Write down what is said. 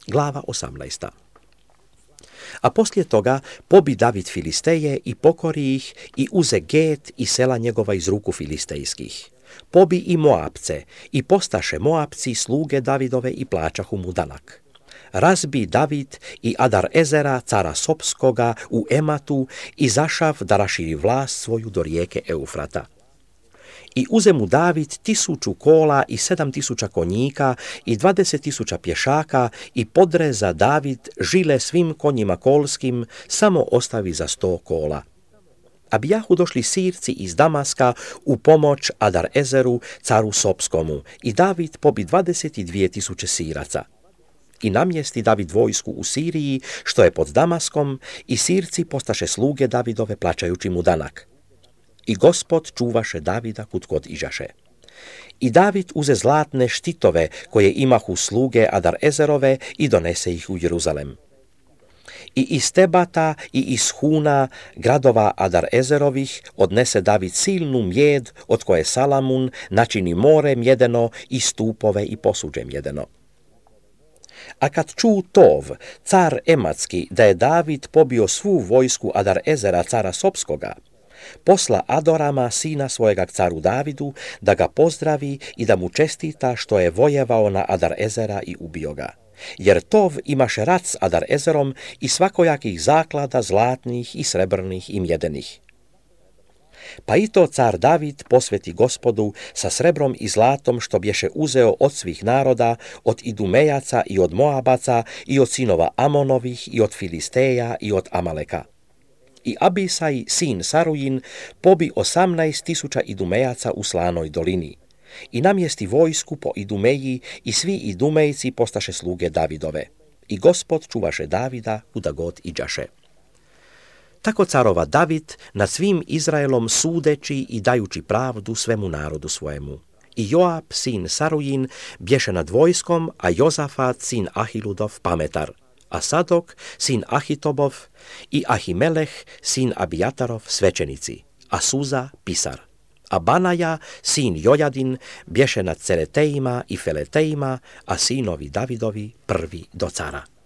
Glava 18. A poslije toga pobi David Filisteje i pokori ih i uze Get i sela njegova iz ruku filistejskih. Pobi i Moabce i postaše Moabci sluge Davidove i plaćahu mu danak. Razbi David i Adar Ezera, cara Sopskoga, u Ematu i zašav da raširi vlast svoju do rijeke Eufrata. I uze mu David 1000 kola i 7000 konjika i 20.000 pješaka i podreza David žile svim konjima kolskim, samo ostavi za 100 kola. A bijahu došli Sirci iz Damaska u pomoć Adar Ezeru, caru Sopskomu, i David pobi 22.000 Siraca. I namjesti David vojsku u Siriji, što je pod Damaskom, i Sirci postaše sluge Davidove plaćajući mu danak. I Gospod čuvaše Davida kud god iđaše. I David uze zlatne štitove koje imahu sluge Adar Ezerove i donese ih u Jeruzalem. I iz Tebata i iz Huna, gradova Adar Ezerovih, odnese David silnu mjed, od koje Salamun načini more mjedeno i stupove i posuđe mjedeno. A kad ču Tov, car Ematski, da je David pobio svu vojsku Adar Ezera, cara Sopskoga, posla Adorama, sina svojega caru Davidu, da ga pozdravi i da mu čestita što je vojevao na Adar Ezera i ubio ga. Jer Tov imaše rat s Adar Ezerom i svakojakih zaklada zlatnih i srebrnih i mjedenih. Pa i to car David posveti Gospodu sa srebrom i zlatom što bješe uzeo od svih naroda, od Idumejaca i od Moabaca i od sinova Amonovih i od Filisteja i od Amaleka. I Abisaj, sin Sarujin, pobi 18.000 Idumejaca u Slanoj dolini. I namjesti vojsku po Idumeji i svi Idumejci postaše sluge Davidove. I Gospod čuvaše Davida kuda god iđaše. Tako carova David nad svim Izraelom sudeći i dajući pravdu svemu narodu svojemu. I Joab, sin Sarujin, bješe nad vojskom, a Jozafat, sin Ahiludov, pametar. A Sadok, sin Ahitobov, i Ahimeleh, sin Abijatarov, svećenici, a Suza, pisar. A Banaja, sin Jojadin, bješe nad Ceretejima i Feletejima, a sinovi Davidovi prvi do cara.